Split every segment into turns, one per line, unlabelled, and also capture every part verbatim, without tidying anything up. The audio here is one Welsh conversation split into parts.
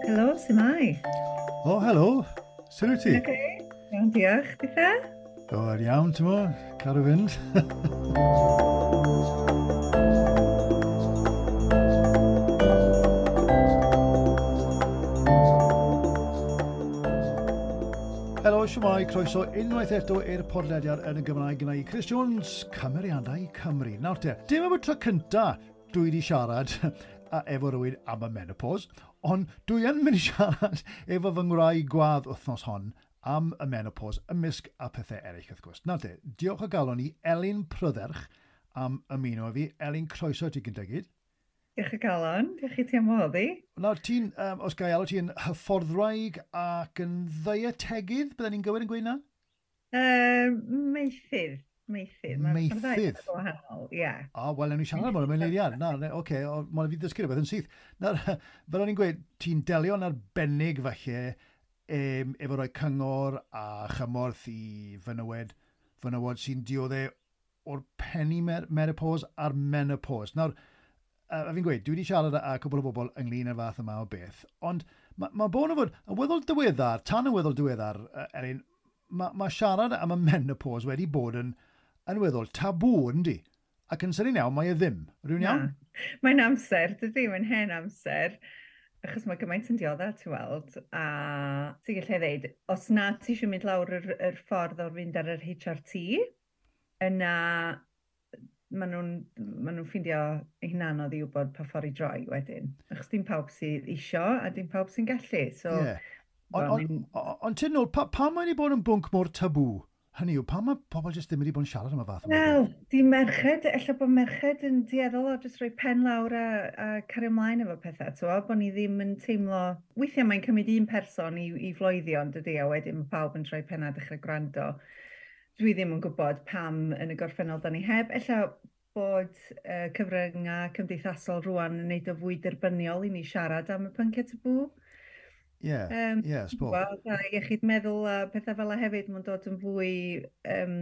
Helo, su'mai?
O, helo. Sut wyt ti?
Okay. Iawn, diolch. Ditha?
O, iawn, ti'n mo? Cadw fynd. Helo, siwmai, croeso unwaith eto i'r podlediad yn y Gymraeg gyda i Chris Jones, Cymeriadau Cymru. Nawr te, dim am y tro cynta dwi wedi siarad a efo rhywun am y menopause, ond dwi yn mynd i siarad efo fy ngwraig gwadd wythnos hon am y menopause ymysg a pethau eraill wrth gwrs. Nawr te, diolch o galon i Elin Prydderch am ymuno â fi. Elin, croeso ti gyntaf gyd.
Diolch o galon, diolch i ti am wahodd i.
Nawr, ti'n, um, os ga i alw ti'n hyfforddwraig ac yn ddeietegydd, bydden ni'n gywir yn gweud na?
Uh, meithydd, meithydd.
Meithydd?
Wahanol, ie. Yeah.
O, wel, ewn ni siarad am hwnna mewn eiliad. Na, oce, okay, mae'n fi ddysgu rhywbeth yn syth. Nawr, fel o'n i'n gweud, ti'n delio'n arbennig falle um, efo rhoi cyngor a chymorth i fenywed, fenywod sy'n dioddef o'r peri-menopause a'r menopause. Nawr, a fi'n gweud, dwi wedi siarad â cwbl o bobl ynglyn â'r fath yma o beth, ond mae ma bod yn fod, yn weddol diweddar, tan yn weddol diweddar, Elin, mae ma siarad am y menopause wedi bod yn, yn weddol tabŵ, yndi? Ac yn sydyn iawn, mae e ddim. Rwy'n iawn?
Mae'n amser, dydy, mae'n hen amser, achos mae gymaint yn dioddef, ti'n weld, a ti'n gallu ddeud, os na ti eisiau mynd lawr yr, yr ffordd o'r fynd ar yr H R T, yna maen nhw'n ma nhw ffeindio eu hunan anodd i wybod pa ffordd i droi wedyn. Achos dim pawb sydd isio a dim pawb sy'n gallu. So,
yeah. Ond on, on, on ti'n nôl, pa, pa mae wedi bod yn bwnc mor tabŵ? Hynny yw, pa mae pobl jyst ddim wedi bod yn siarad am y fath yma?
Wel, di merched, ella bod merched yn dueddol o jyst rhoi pen lawr a, a cario ymlaen efo pethau, t'wo, bod ni ddim yn teimlo... Weithiau mae'n cymryd un person i, i floeddio, ond dydy, a wedyn mae pawb yn troi pen a dechrau gwrando. Dwi ddim yn gwybod pam yn y gorffennol da ni heb. Ella bod uh, cyfryngau cymdeithasol rwan yn neud o fwy derbyniol i ni siarad am y pynciau tabŵ.
Ie,
um,
ie, sbo.
Wel, a iechyd meddwl a pethau fel 'na hefyd, mae'n dod yn fwy um,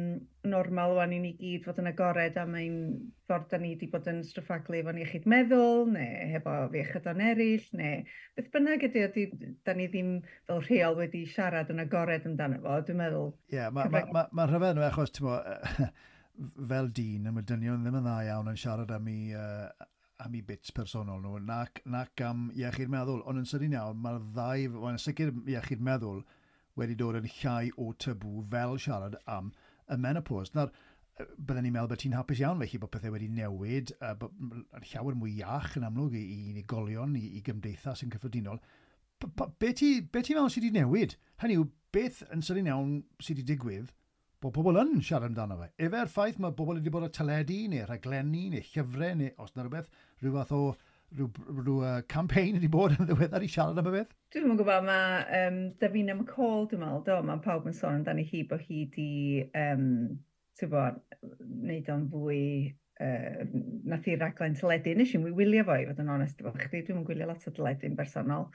normal rwan i ni gyd fod yn agored am ein ffordd da ni wedi bod yn stryffaglu efo'n iechyd meddwl, neu hefo iechydon eraill, neu beth bynnag ydy, ydy, da ni ddim fel rheol wedi siarad yn agored amdano fo, dwi'n meddwl.
Ie, yeah, mae ma, ma, ma rhyfedd nhw achos, ti'n mo, fel dyn, mae dynion ddim yn dda iawn yn siarad am i... Uh, am i bits personol nhw, nac, nac am iechyd meddwl. Ond yn sydyn iawn, mae'r ddau, mae'n sicr iechyd meddwl wedi dod yn llai o tabŵ fel siarad am y menopause. Nawr, bydden ni'n meddwl bod ti'n hapus iawn felly bod pethau wedi newid, uh, bod llawer mwy iach yn amlwg i, i unigolion, i, i gymdeithas yn cyffredinol. P -p be ti, be ti'n meddwl sydd wedi newid? Hynny yw, beth yn sydyn iawn sydd wedi digwydd bod pobl yn siarad amdano fe. Efe'r ffaith mae pobl wedi bod ar teledu, neu rhaglenni, neu llyfrau, neu os na rhywbeth, rhyw fath o rhyw, rhyw uh, campaign wedi bod yn ddiweddar i siarad am y beth?
Dwi'm yn gwybod, mae um, Davina McCall, dwi'n meddwl, do, mae pawb yn sôn amdani hi bod hi di, um, ti'n bod, wneud o'n fwy, uh, nath hi raglen teledu. Nes i'm wylio fo, i fod yn onest efo chdi, dwi'm yn gwylio lot o teledu yn bersonol.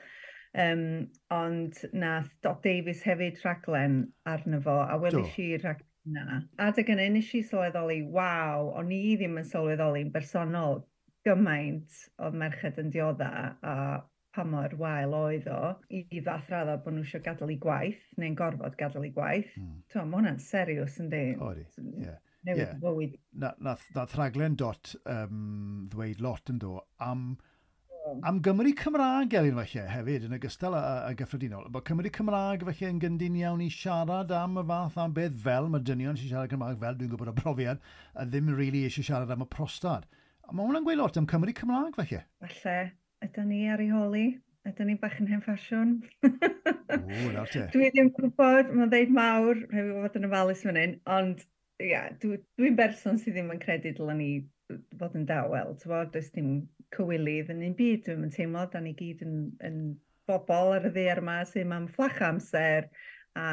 Um, ond nath Dot Davies hefyd rhaglen arno fo, a weles i rhaglen yna. Adeg yna, nes i sylweddoli, waw, o'n i ddim yn sylweddoli'n bersonol gymaint oedd merched yn diodda a pa mor wael oedd o, i fath radda bod nhw eisiau gadael eu gwaith, neu'n gorfod gadael eu gwaith.
Mm.
T'mo, ma' hwnna'n serious, yndi?
Odi, ie.
Newid
Yeah.
bywyd.
Na, nath, nath rhaglen Dot um, ddweud lot yn do am Am Gymru Cymraeg, Elin, falle, hefyd, yn ogystal â, â gyffredinol. Bod Cymru Cymraeg, falle, yn gyndyn iawn i siarad am y fath am beth fel mae dynion sy'n siarad Cymraeg, fel dwi'n gwybod o brofiad, a ddim really eisiau siarad am y prostad. A mae hwnna'n gweud lot am Cymru Cymraeg, falle.
Falle, ydyn ni ar ei holi? Ydyn ni bach yn hen ffasiwn?
O, nawr te.
Dwi ddim yn gwybod, mae'n ddeud mawr, rhaid i fi fod yn ofalus fan hyn, ond ia, dwi, dwi'n berson sydd ddim yn credu dylen ni fod yn dawel, t'wod, does dim cywilydd yn un byd, dwi'n teimlo, da ni gyd yn, yn bobl ar y ddaear yma sy'n am fflach amser a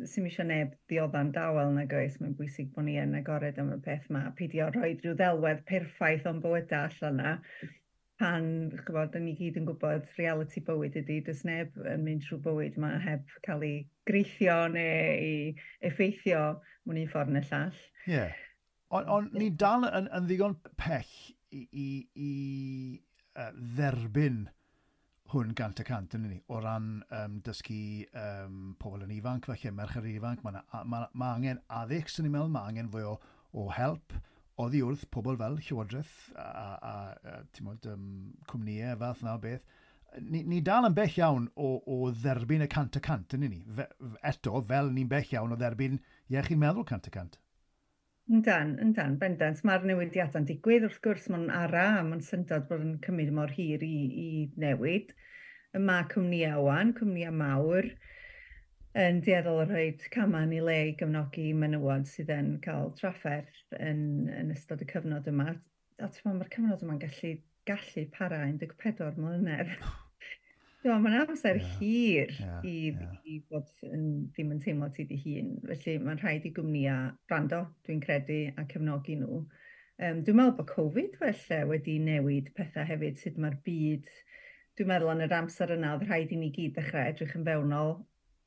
sy'm isio neb diodda'n dawel nag oes. Mae'n bwysig bod ni yn agored am y peth yma, peidio rhoi rhyw ddelwedd perffaith o'n bywydau allan yna. Pan, chybod, da ni gyd yn gwybod reality bywyd ydy, does neb yn mynd trwy bywyd yma heb cael ei greithio neu ei effeithio mewn un ffordd neu llall.
Ie. Yeah. Ond on, ni dal yn, yn ddigon pell i, i, i uh, dderbyn hwn gant y cant yn ni, o ran um, dysgu um, pobl yn ifanc, felly merched ifanc, mae ma, ma angen addysg, sy'n ni'n meddwl, mae angen fwy o, o help oddi wrth pobl fel Llywodraeth a, a, a, a ti'mod, um, cwmnïau fath na o beth. Ni, ni dal yn bell iawn o, o dderbyn y cant y cant yn ni. Fe, eto, fel ni'n bell iawn o dderbyn iechyd meddwl cant y cant.
Yndan, yndan, bendant. Mae'r newidiadau'n digwydd, wrth gwrs, mae'n ara, a mae'n syndod bod yn cymryd mor hir i, i newid. Mae cwmnïau wan, cwmnïau mawr, yn dueddol o rhoi camau yn ei le i gefnogi menywod sydd yn cael trafferth yn, yn ystod y cyfnod yma. A ti'n mae'r cyfnod yma'n gallu, gallu para un deg pedwar mlynedd. Mae'n amser yeah, hir yeah, i, yeah. i fod yn, ddim yn teimlo ti dy hun. Felly mae'n rhaid i gwmnïau wrando, dwi'n credu, a cefnogi nhw. Um, dwi'n meddwl bod Covid felly wedi newid pethau hefyd, sut mae'r byd. Dwi'n meddwl yn yr amser yna, oedd rhaid i ni gyd ddechrau edrych yn fewnol.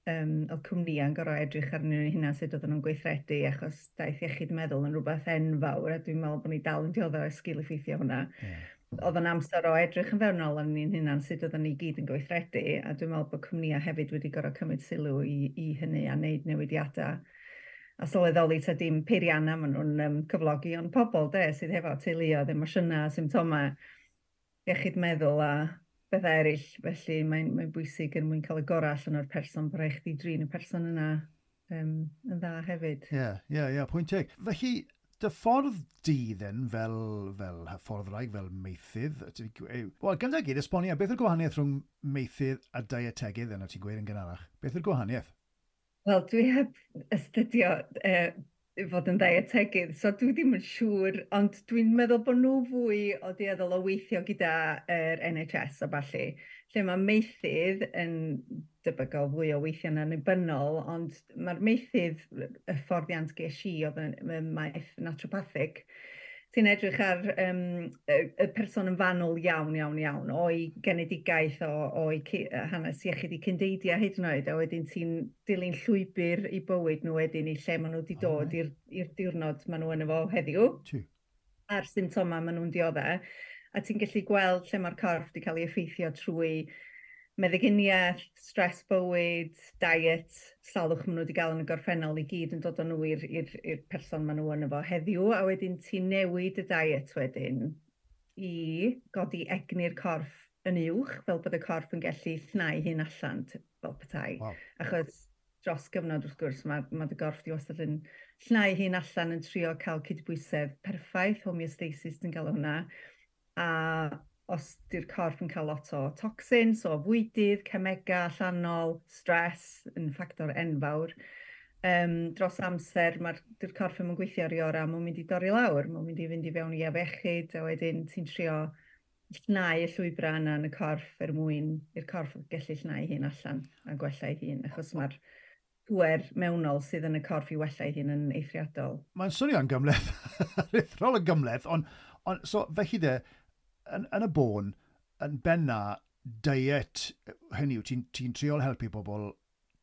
Um, oedd cwmnïau'n gorfod edrych arnyn nhw'n hynna, sut oedden nhw'n gweithredu, achos daeth iechyd meddwl yn rhywbeth enfawr, a dwi'n meddwl bod ni dal yn dioddef o sgil effeithio hwnna. Yeah. Oedd yn amser o edrych yn fewnol arnyn ni'n hunan, sut oedden ni gyd yn gweithredu, a dwi'n meddwl bod cwmnïau hefyd wedi gorfod cymryd sylw i, i hynny a wneud newidiadau a sylweddoli ta dim peiriannau maen nhw'n um, cyflogi, ond pobl de, sydd hefo teuluoedd, emosiynau, symptomau, iechyd meddwl a bethau eraill. Felly mae'n mae bwysig er mwyn cael y gorau allan o'r person, bod rhaid chdi drin y person yna um, yn dda hefyd.
Ie, yeah, ie, yeah, ie, yeah, pwynt teg. Felly, dy ffordd di then, fel, fel hyfforddwraig, fel maethydd, wel, gyda gyd, esbonio, beth yw'r gwahaniaeth rhwng maethydd a dietegydd yna ti'n gweud yn gynharach? Beth yw'r gwahaniaeth?
Wel, dwi heb astudio uh, fod yn dietegydd, so dwi ddim yn siŵr, ond dwi'n meddwl bod nhw fwy o dueddol o weithio gyda yr N H S a ballu, lle mae maethydd yn debygol fwy o weithio'n annibynnol, ond mae'r maethydd, y hyfforddiant ges i oedd yn maeth naturopathic, ti'n edrych ar um, y, y person yn fanwl iawn, iawn, iawn, o'i genedigaeth, o, o'i hanes iechyd i cyndeidiau hyd yn oed, a wedyn ti'n dilyn llwybr i bywyd nhw wedyn i lle maen nhw wedi dod oh, i'r diwrnod maen nhw yn efo heddiw. A'r symptomau maen nhw'n dioddef. A ti'n gallu gweld lle mae'r corff wedi cael ei effeithio trwy meddyginiaeth, stress bywyd, diet, salwch maen nhw wedi gael yn y gorffennol i gyd yn dod â nhw i'r person maen nhw yn efo heddiw, a wedyn ti'n newid y diet wedyn i godi egni'r corff yn uwch, fel bod y corff yn gallu llnau hyn allan fel petai. Wow. Achos dros gyfnod, wrth gwrs, mae, mae dy gorff di wastad yn llnau hyn allan yn trio cael cydbwysedd perffaith, homeostasis ti'n gael hwnna. A os di'r corff yn cael lot o toxins, o fwydydd, cemega allanol, stress yn ffactor enfawr, um, dros amser mae'r di'r corff yn gweithio ar ei orau, mae'n mynd i dorri lawr, mae'n mynd i fynd i fewn i afiechyd, a wedyn ti'n trio llnau y llwybrau yna yn y corff er mwyn i'r corff gallu llnau hun allan a gwella ei hun, achos mae'r pŵer mewnol sydd yn y corff i wella ei hun yn eithriadol.
Mae'n swnio'n gymhleth, aruthrol yn gymhleth, ond on, so felly de, yn, yn y bôn, yn benna, diet, hynny yw, ti'n ti triol helpu pobl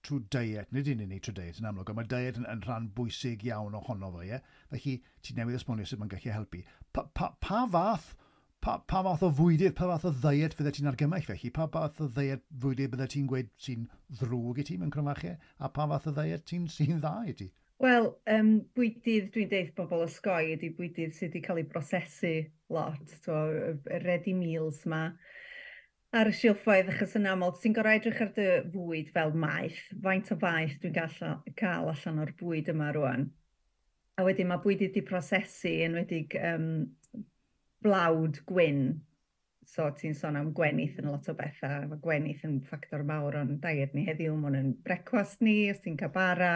trwy diet, nid yn unig trwy diet yn amlwg, ond mae diet yn, yn rhan bwysig iawn ohono fo, ie? Felly, ti'n newydd esbonio sut mae'n gallu helpu. Pa, pa, pa fath pa, pa fath o fwydydd, pa fath o ddiet fydde ti'n argymell felly? Pa fath o ddiet fwydydd bydde ti'n gweud sy'n ddrwg i ti mewn cromfachau? A pa fath o ddiet ti'n sy'n dda i ti?
Wel, um, bwydydd dwi'n deud bobl osgoi ydy bwydydd sydd wedi cael ei brosesu lot, so, y ready meals ma ar y silffoedd, achos yn aml ti'n gorfod edrych ar dy fwyd fel maeth, faint o faeth dwi'n gallu cael allan o'r bwyd yma rwan. A wedyn mae bwydydd wedi prosesu, enwedig um, blawd gwyn, so ti'n sôn am gwenith yn lot o bethau, mae gwenith yn ffactor mawr o'n diet ni heddiw, mae hwn yn brecwast ni, os ti'n cael bara,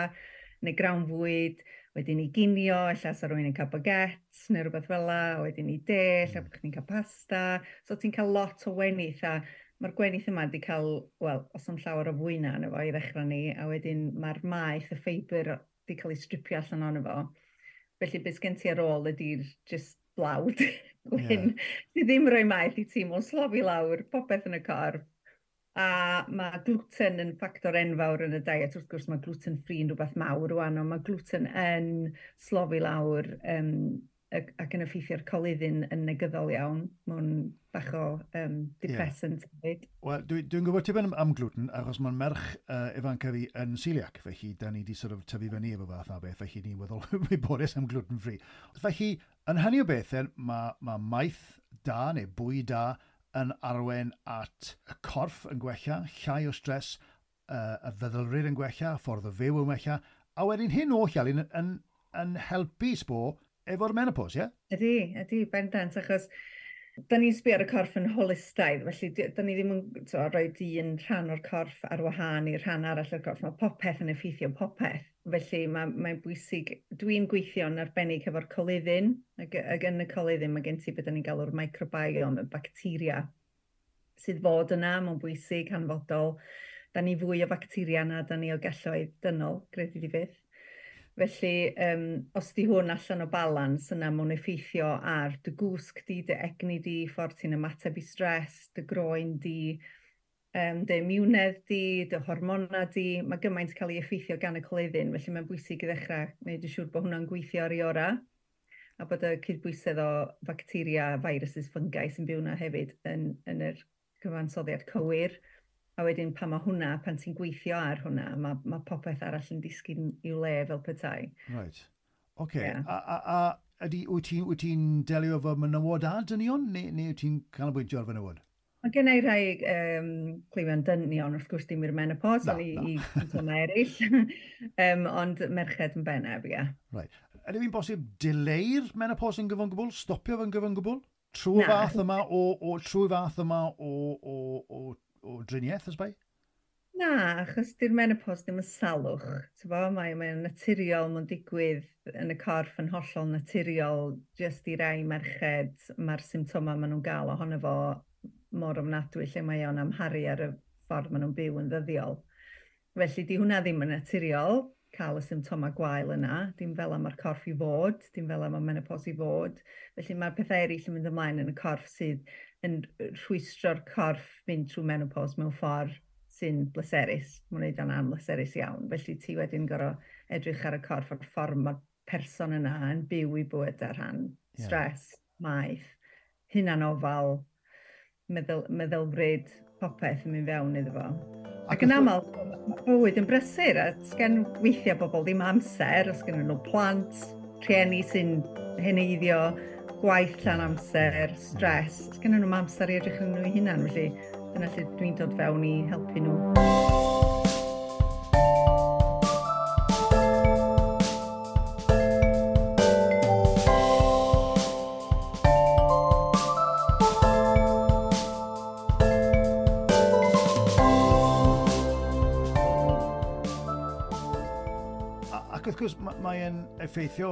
neu grawnfwyd, wedyn i ginio, ella sa rhywun yn cael baguette neu rhywbeth fel la, wedyn i de, ella bod chdi'n cael pasta. So ti'n cael lot o wenith, a mae'r gwenith yma wedi cael, wel, os am llawer o fwyna yna fo i ddechrau ni, a wedyn mae'r maeth, y ffeibr, wedi cael ei stripio allan ono fo. Felly beth sgen ti ar ôl ydy'r just blawd gwyn, yeah. Ti ddim rhoi maeth i ti, mae'n slofi lawr popeth yn y corff. A mae gluten yn ffactor enfawr yn y diet. Wrth gwrs mae gluten free yn rhywbeth mawr rwan, ond mae gluten yn slofi lawr um, ac yn effeithio'r coluddyn yn negyddol iawn. Mae'n bach o um, depressant hefyd.
Yeah. Wel, dwi'n dwi gwybod tipyn am, am gluten, achos mae'n merch uh, ifanca fi yn celiac, felly da ni di sort of tyfu fyny efo fath na beth, felly ni'n weddol wybodus am gluten free. Felly, yn hynny o beth, mae, mae maeth da neu bwyd da yn arwain at y corff yn gwella, llai o stres, uh, y feddylfryd yn gwella, ffordd o fyw yn gwella, a wedyn hyn oll, Alun, yn, yn, yn helpu sbo efo'r menopause, ie? Yeah?
Ydy, ydy, bendant, achos da ni'n sbio ar y corff yn holistaidd, felly da ni ddim yn to, rhoi un rhan o'r corff ar wahân i'r rhan arall o'r corff. Mae popeth yn effeithio popeth, felly mae'n mae bwysig. Dwi'n gweithio'n arbennig efo'r coluddyn, ac, ac yn y coluddyn mae gen ti beth da ni'n galw'r microbiome, y bacteria sydd fod yna, mae'n bwysig, hanfodol. Da ni fwy o bacteria na da ni o gelloedd dynol, gredu di fyth. Felly, um, os di hwn allan o balans, yna mae'n effeithio ar dy gwsg di, dy egni di, ffordd ti'n ymateb i stres, dy groen di, um, dy imiwnedd di, dy hormona di. Mae gymaint cael ei effeithio gan y coluddyn, felly mae'n bwysig i ddechrau gwneud yn siŵr bod hwnna'n gweithio ar ei orau, a bod y cydbwysedd o bacteria, viruses, fungi sy'n byw yna hefyd yn, yn yr cyfansoddiad cywir. A wedyn pan mae hwnna, pan ti'n gweithio ar hwnna, mae, mae popeth arall yn disgyn i'w le fel petai.
Right. Oce. Okay. Yeah. A, a, a ydy, wyt ti'n wyt ti'n delio efo menywod a dynion, neu, neu wyt ti'n canolbwyntio ar fenywod?
Mae gen i rai um, cleifion dynion, wrth gwrs dim i'r menopause, ond i, i symptomau eraill. um, ond merched yn bennaf, ie.
Right. Ydy fi'n bosib dileu'r menopause yn gyfan gwbl? Stopio fe'n gyfan gwbl? Trwy fath yma o, o, trwy fath yma o, o, o o driniaeth, ysbai?
Na, achos di'r menopause ddim yn salwch. Mae mae'n naturiol, mae'n digwydd yn y corff yn hollol naturiol, jyst i rai merched, mae'r symptomau maen nhw'n gael ohono fo mor ofnadwy lle mae o'n amharu ar y ffordd maen nhw'n byw yn ddyddiol. Felly, di hwnna ddim yn naturiol, cael y symptomau gwael yna, dim fel am mae'r corff i fod, dim fel am y menopause i fod. Felly mae'r pethau eraill yn mynd ymlaen yn y corff sydd yn rhwystro'r corff fynd trwy menopause mewn ffordd sy'n bleserus. Mae'n gwneud o'n amhleserus iawn. Felly ti wedyn gorfod edrych ar y corff a'r ffordd mae'r person yna yn byw i bywyd ar rhan yeah. Stress, maeth, hunanofal, meddwl, meddylfryd, popeth yn mynd fewn iddo fo. Ac yn aml, mae bywyd yn brysur, a sgen weithiau bobl ddim amser, os gen nhw plant, rhieni sy'n heneiddio, gwaith llawn amser, stres, sgen nhw'm amser i edrych ar nhw eu hunan, felly dyna lle dwi'n dod fewn i helpu nhw.
Ac wrth gwrs, mae'n effeithio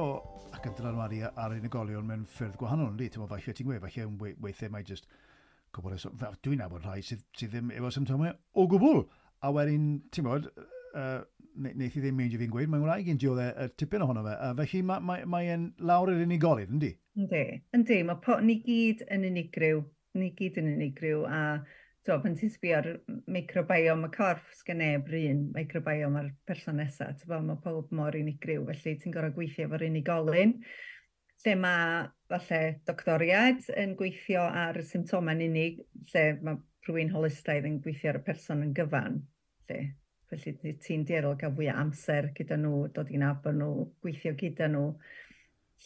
ac yn dylanwadu ar unigolion mewn ffyrdd gwahanol, yndi? Ti'n meddwl, falle ti'n gweud, falle weithiau mae jyst gwybod, dwi'n nabod rhai sydd, sydd ddim efo symptomau o gwbl. A wedyn, ti'n bod, uh, neith i ddim meindio fi'n gweud, mae'n wraig i'n dioddef y tipyn ohono fe. A felly mae'n mae, mae lawr i'r unigolyn, yndi?
Yndi, yndi. Mae po, ni gyd yn unigryw, ni gyd yn unigryw, a to, pan ti'n sbio ar microbiome y corff, sgen neb yr un microbiome ar person nesaf, mae pob mor unigryw, felly ti'n gorfod gweithio efo'r unigolyn. Lle mae falle doctoriaid yn gweithio ar y symptomau'n unig, lle mae rhywun holistaidd yn gweithio ar y person yn gyfan. Lle. Felly ti'n dueddol cael fwy o amser gyda nhw, dod i nabod nhw, gweithio gyda nhw,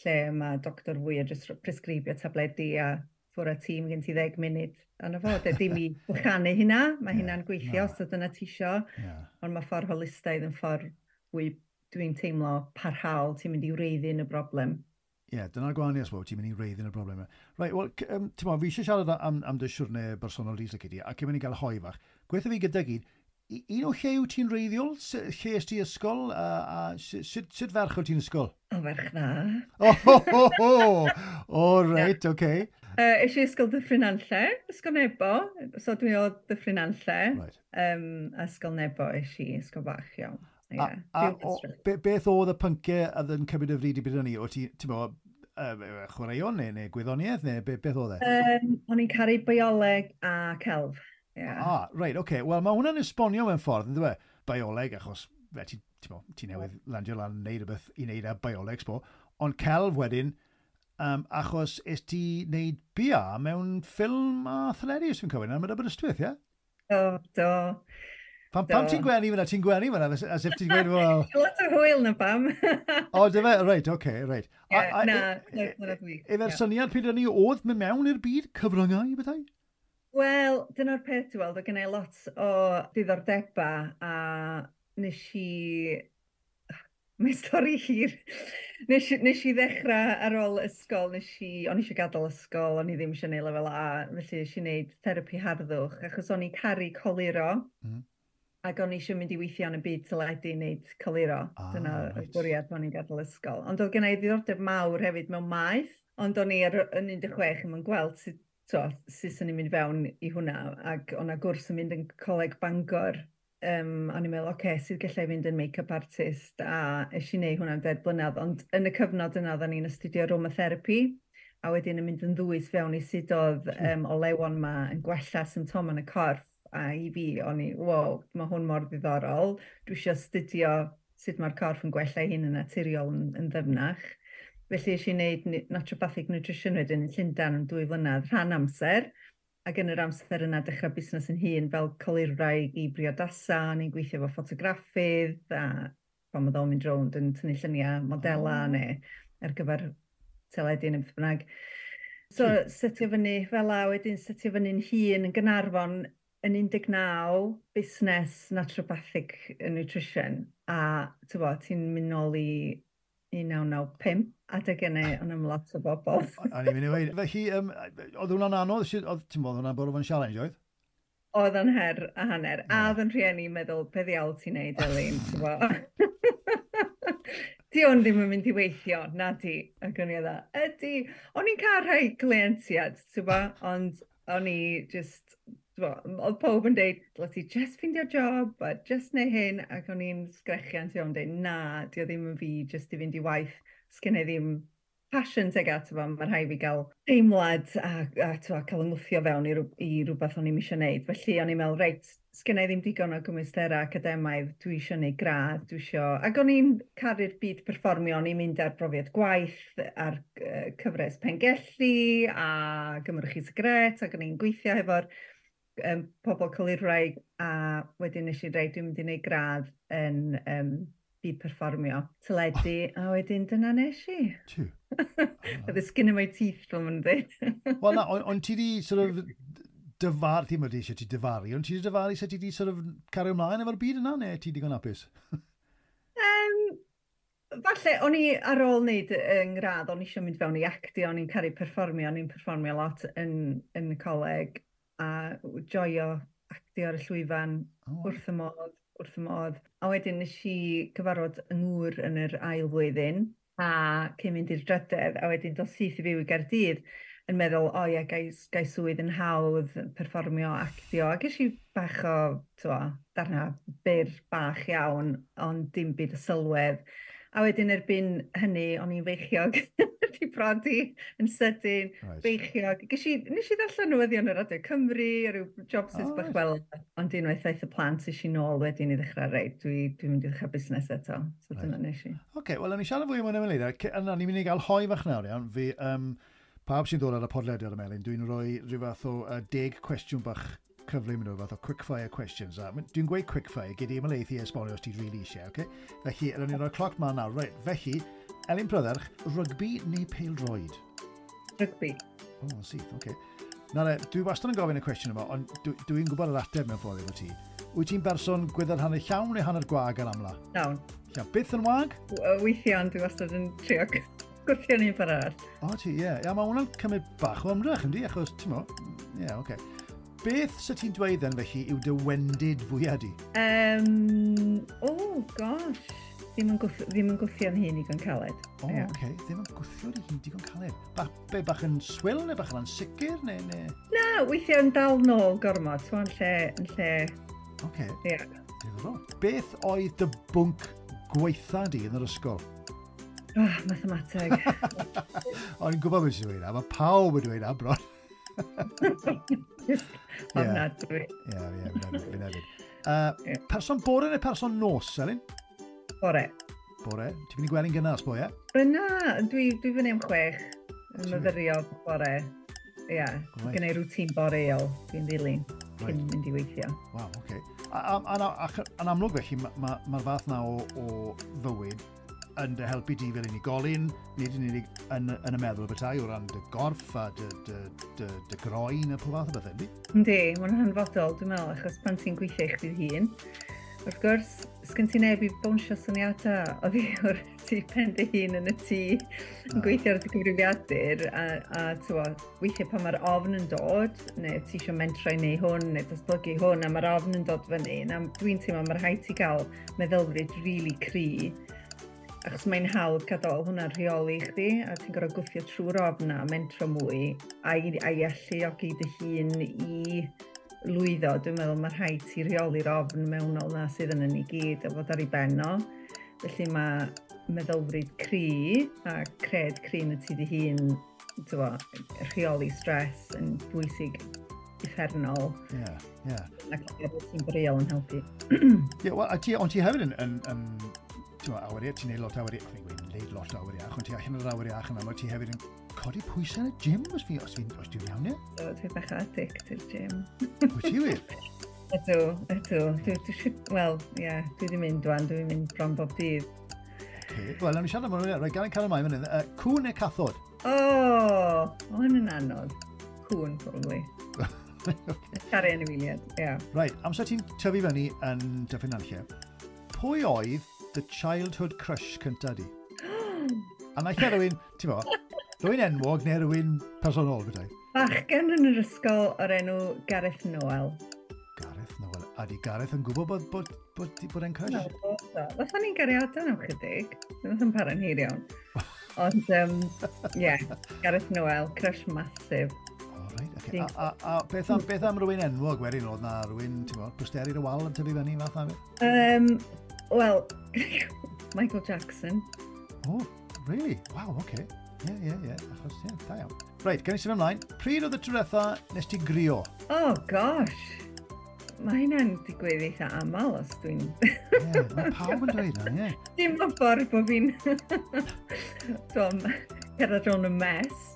lle mae doctor fwy o jyst presgribio tabledi a ffwrdd â tîm gen ti ddeg munud. A na fo, de, dim i bychanu hynna, mae hynna'n gweithio os dyna ti isio,
yeah.
Ond mae ffordd holistaidd yn ffordd fwy, dwi'n teimlo, parhaol, ti'n mynd i wreiddyn y broblem.
Ie, yeah, dyna'r gwahaniaeth, ti'n mynd i wreiddyn y broblem. Right, wel, um, ti'n mo, fi eisiau siarad am, am dy siwrne bersonol di, Lyci di, ac yn mynd i gael hoi fach. Gweithio fi gyda gyd, un o lle wyt ti'n reiddiol? Lle est ti ysgol? A, a sut, sut ferch wyt ti'n ysgol?
O, ferch dda.
O, ho, ho, ho! O, reit, oce. Okay.
Uh, es i ysgol Dyffryn Nantlle, Ysgol Nebo, so dwi o Dyffryn Nantlle.
Right.
Um, ysgol Nebo es i, ysgol bach iawn.
Yeah. A, a o, be, beth oedd y pynciau oedd yn cymryd y fryd i bryd hynny? O ti, ti'n bo, Uh, chwaraeon neu, neu gwyddoniaeth neu be, beth oedd e?
Um, o'n i'n caru bioleg a celf. Yeah.
Ah, reit, oce. Okay. Wel, mae hwnna'n esbonio mewn ffordd, yn dweud? Bioleg, achos fe, ti, ti, ti newydd landio lan yn neud rhywbeth i wneud â bioleg, sbo. Ond celf wedyn, um, achos es ti wneud B A mewn ffilm a theledu, os fi'n cywir, yn Aberystwyth, ie?
Do, do.
Pam, pam ti'n gwenu fyna? Ti'n gwenu fyna, as if ti'n gweud, wel...
Lot o hwyl na pam.
O, dy fe? Reit, oce, okay, reit.
Yeah, na, na,
Efo'r syniad pryd ni oedd mynd mewn i'r byd cyfryngau, bethau?
Wel, dyna'r peth, ti'n weld, oedd gen i lot o diddordebau a nes i... Mae stori hir. Nes, nes i ddechrau ar ôl ysgol, nes i, o'n i eisiau gadael ysgol, o'n i ddim eisiau gwneud lefel A, felly nes i wneud therapi harddwch, achos o'n i'n caru coluro, mm. ac o'n i eisiau mynd i weithio yn y byd teledu i wneud coluro. Ah, Dyna right. Y bwriad pan o'n i'n gadael ysgol. Ond oedd gen i ddiddordeb mawr hefyd mewn maeth, ond o'n i ar, yn un deg chwech yn gweld sut, to, sut o'n i'n mynd fewn i hwnna, ac o'n gwrs yn mynd yn Coleg Bangor. Um, o'n i'n meddwl, oce, okay, sydd gallai fynd yn make-up artist, a es i wneud hwnna'n deg blynedd, ond yn y cyfnod yna, oedden ni'n astudio aromatherapy, a wedyn yn mynd yn ddwys fewn i sut oedd um, olewon ma yn gwella symptomau yn y corff, a i fi, o'n i, wow, mae hwn mor ddiddorol, dwi eisiau astudio sut mae'r corff yn gwella ei hun yn naturiol yn, yn ddyfnach. Felly es i wneud naturopathic nutrition wedyn yn Llundain yn dwy flynedd, rhan amser, ac yn yr amser yna dechrau busnes yn hun fel colurwraig i briodasa, o'n i'n gweithio efo ffotograffydd, a pan oedd o'n mynd rownd yn tynnu lluniau modela oh. neu ar gyfer teledu neu beth bynnag. So, setio fyny fel a wedyn setio fyny'n hun yn Gaernarfon yn un deg naw, busnes naturopathic nutrition, a ti'n mynd nôl i un naw naw pump, adeg yna, o'n am lot o bobl.
O'n i'n mynd i weud. Felly, um, oedd hwnna'n anodd? Oedd, ti'n bod, hwnna'n bod o'n challenge, oedd?
Oedd o'n her a hanner. A oedd yn rhieni meddwl, be ddiawl ti'n neud, Elin, ti'n bod? Di o'n ddim yn mynd i weithio, na di. Ac o'n i oedd, ydy. O'n i'n cael rhai cleientiaid, ti'n bod, ond o'n i just... Oedd pob yn deud, dyle ti just ffeindio job, a just neu hyn, ac o'n i'n sgrechian tu o'n deud, na, di o ddim yn fi, just i fynd i waith, sgen i ddim passion teg ato fo, mae rhaid fi gael teimlad a, a, a, a cael yngwthio fewn i, i rhywbeth o'n i'n eisiau gwneud. Felly o'n i'n meddwl, reit, sgen i ddim digon o gymwysterau academaidd, dwi eisiau gwneud gradd, dwi eisiau... Ac o'n i'n caru'r byd perfformio, o'n i'n mynd ar brofiad gwaith, ar uh, cyfres Pengelli, a Gymrwch Chi Sigret, ac o'n i'n gweithio hefo'r um, pobl colurwraig, a wedyn nes i dweud, dwi'n mynd i wneud gradd yn um, byd perfformio, teledu, a wedyn dyna nes i.
Tiw.
Oedd y skin in my teeth, fel ma'n dweud.
Wel na, ond on ti di sort of dyfar, ti'n mynd eisiau ti dyfaru, ond ti di dyfaru sut ti di sort of cario ymlaen efo'r byd yna, neu ti digon hapus?
um, falle, o'n i ar ôl wneud yng ngradd, o'n i eisiau mynd fewn i actio, o'n i'n caru perfformio, o'n i'n perfformio lot yn, yn y coleg, a joio actio ar y llwyfan oh. wrth y modd, wrth y modd. A wedyn nes i gyfarfod yng ngŵr yn yr ail flwyddyn, a cyn mynd i'r drydedd, a wedyn dos syth i fyw i Gaerdydd, yn meddwl, o ie, gai, gai swydd yn hawdd, perfformio, actio. A ges i bach o, twa, darna byr bach iawn, ond dim byd o sylwedd. A wedyn erbyn hynny, o'n i'n feichiog, di prodi yn sydyn, right. Beichiog. Ges i, nes i ddarllen newyddion ar Radio Cymru, a rhyw jobsys oh, bach right. Fel, ond unwaith aeth y plant es i nôl wedyn i ddechrau, reit, dwi, dwi'n mynd i ddechrau busnes eto. So right. Dyna nes i.
Oce, okay, wel, o'n i siarad fwy am hwnna mewn eiliad. Yna, ni'n mynd i gael hoi fach nawr, iawn. Fi, um, pawb sy'n dod ar y podlediad y Melin, dwi'n rhoi rhyw fath o uh, deg cwestiwn bach cyflym nhw, fath o quickfire questions. A dwi'n gweud quickfire, gyd i ymlaethu i esbonio os ti'n really eisiau, okay? Felly, rydyn ni'n rhoi cloc ma nawr. Right, felly, Elin Prydderch, rygbi neu pêl-droed?
Rygbi.
O, oh, syth, oce. Okay. Nawr, dwi wastad yn gofyn y cwestiwn yma, ond dwi'n dwi gwybod yr ateb mewn ffordd efo ti. Wyt ti'n berson gwyddor hanner llawn neu hanner gwag ar amla?
Llawn.
Llawn. Byth yn wag?
Weithiau, ond dwi wastad yn trio gwthio ni'n ffordd arall.
O, ti, ie. Yeah. Ia, mae hwnna'n cymryd bach o ymdrech, yndi? Achos, ti'n mo, ie, yeah, oce. Okay. Beth sy ti'n dweud then felly yw dy wendid fwyaf di?
Um, oh, gosh. Ddim yn, gwth, ddim yn gwthio'n hun digon caled.
O, oh, yeah. oce. Okay. Ddim yn gwthio dy hun digon caled. Ba, be, bach yn swil neu bach yn ansicr? Neu, neu...
Na, weithiau yn dal nôl gormod. So, yn lle... Yn lle...
Oce. Okay.
Yeah.
Diddorol. Beth oedd dy bwnc gweitha di yn yr ysgol?
Oh, mathemateg.
O'n i'n gwybod beth sy'n dweud na, mae pawb yn dweud na, bron.
Just ofnadwy.
Ie, ie, fi'n hefyd. Uh, person bore neu person nos, Elin?
Bore.
Bore. Ti'n mynd i gwely'n gynnar, sbo, ie?
Na, dwi, dwi fyny am chwech. Yn myfyrio bore. Ie, yeah. Right. Gen i routine boreol dwi'n ddilyn cyn right. mynd i weithio.
Waw, oce. Okay. A, a, a, a, a, amlwg felly, mae'r ma, ma fath na o, o fywyd yn dy helpu di fel unigolyn, nid yn unig yn, yn y meddwl bethau o ran dy gorff a dy, dy, dy, dy groen a pob fath o bethau, yndi?
Yndi, mae'n hanfodol, dwi'n meddwl, achos pan ti'n gweithio i chdi hun, wrth gwrs, sgyn ti neb i bownsio syniadau oddi wrth ti pen dy hun yn y tŷ yn gweithio ar dy gyfrifiadur a, a t'wo, weithiau pan mae'r ofn yn dod, neu ti eisiau mentro i neu hwn, neu datblygu hwn, a mae'r ofn yn dod fyny, na dwi'n teimlo mae'r rhaid ti gael meddylfryd rili cry, achos mae'n hawdd gadael hwnna'n rheoli chdi, a ti'n gorfod gwthio trwy'r ofn a mentro mwy, a i, a i alluogi dy hun i lwyddo. Dwi'n meddwl mae rhaid ti rheoli'r ofn mewnol na sydd yn ni gyd a fod ar ei ben o. Felly mae meddylfryd cry a cred cry yn y ti dy hun, t'wo, rheoli stres yn bwysig uffernol.
Ie, yeah, ie. Yeah.
Ac efo ti'n boreol yn helpu.
Ie, yeah, well, a ti, ond ti hefyd yn, yn, yn ti'n awyr iach, ti'n neud lot awyr iach, fi'n gweud neud lot awyr iach, ond ti allan o'r awyr iach yna, ti hefyd yn codi pwysau yn y gym, os fi, os fi, os dwi'n iawn, ie?
So, dwi'n bach addict i'r gym.
Wyt ti wir?
Ydw, ydw. Dwi, dwi, wel, ie, yeah, dwi wedi mynd dwan, dwi'n mynd bron bob dydd.
Okay. Wel, nawn ni siarad am hwnna, rhaid gael ein cael ymlaen fan hyn. Uh, cŵn neu cathod?
O, oh, o hyn yn anodd. Cŵn, probably. Okay. Caru anifeiliaid, ie. Yeah.
Right, amser ti'n tyfu fyny yn Dyffryn Nantlle, pwy oedd the childhood crush cynta di? A na lle rhywun, ti'n bo, rhywun enwog neu rhywun personol, bydau?
Bachgen yn yr ysgol o'r enw Gareth Noel.
Gareth Noel. A di Gareth yn gwybod bod, bod, bod, bod e'n crush?
No, fatha ni'n gariadon am chydig. Nath yn para'n hir iawn. Ond, um, yeah, Gareth Noel, crush massive.
O, oh, right, okay. A, a, a beth, am, beth am rhywun enwog wedyn oedd na rhywun, ti'n bo, posteri y wal yn tyfu fyny fath na beth?
Um, Wel, Michael Jackson.
Oh, really? Wow, okay. Ie, ie, ie. Achos, ie, da iawn. Reit, gan i symud ymlaen. Pryd oedd y tro diwetha nes ti grio?
Oh, gosh. Mae hynna'n digwydd eitha aml os dwi'n...
Ie, yeah, mae pawb yn dweud na, ie.
Dim o ffordd bod fi'n... Dwi'n cerdded rownd y mess.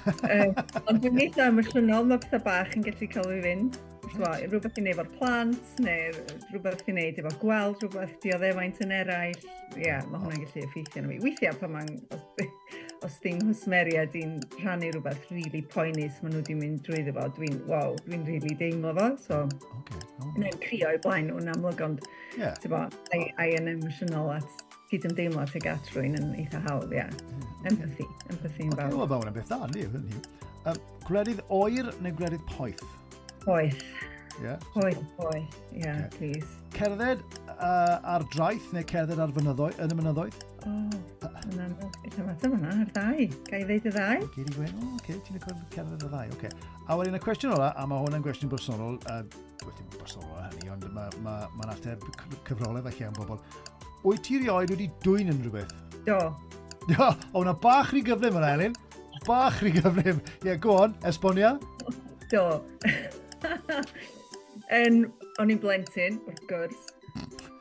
uh, ond dwi'n eitha emosiynol, mae pethau bach yn gallu cael fi fynd. Twa, rhywbeth i wneud efo'r plant, neu rhywbeth i wneud efo gweld, rhywbeth dioddefaint yn eraill. Ie, yeah, mae hwnna'n gallu effeithio arno fi. Weithiau pan mae'n, os, os di'n nghwsmeriaid i'n rhannu rhywbeth really poenus maen nhw wedi mynd drwyddo fo, dwi'n, wow, dwi'n really deimlo fo. So,
okay. Oh.
Neu'n crio i blaen nhw'n amlwg, ond
yeah.
Bo, I, I yn emosiynol at cydymdeimlo tuag at rhywun yn eitha hawdd, ie. Yeah.
Yeah, okay.
Empathy, empathy yn fawr.
Okay, wel, mae hwnna'n beth dda, yndi? Um, gwledydd oer neu gwledydd poeth?
Poeth.
Yeah.
Poeth, poeth. Yeah,
okay.
Please.
Cerdded uh, ar draeth neu cerdded ar fynyddoedd, yn y mynyddoedd?
O, oh, yn anodd. Beth am ateb hwnna, ar ddau. Ga i ddeud y ddau?
Gei di gweud, o, oce, ti'n cerdded ar ddau, oce. A wedyn y cwestiwn ola, a mae hwn yn gwestiwn bersonol, uh, wel, dim bersonol hynny, ond mae'n ma, ma, ma ateb cyfrolau falle am bobl. Wyt ti rioed wedi dwyn unrhyw beth?
Do.
O, hwnna bach rhy gyflym yna, Elin. Bach rhy gyflym. Ie, yeah, go on, esbonia.
Do. En, o'n i'n blentyn, wrth gwrs,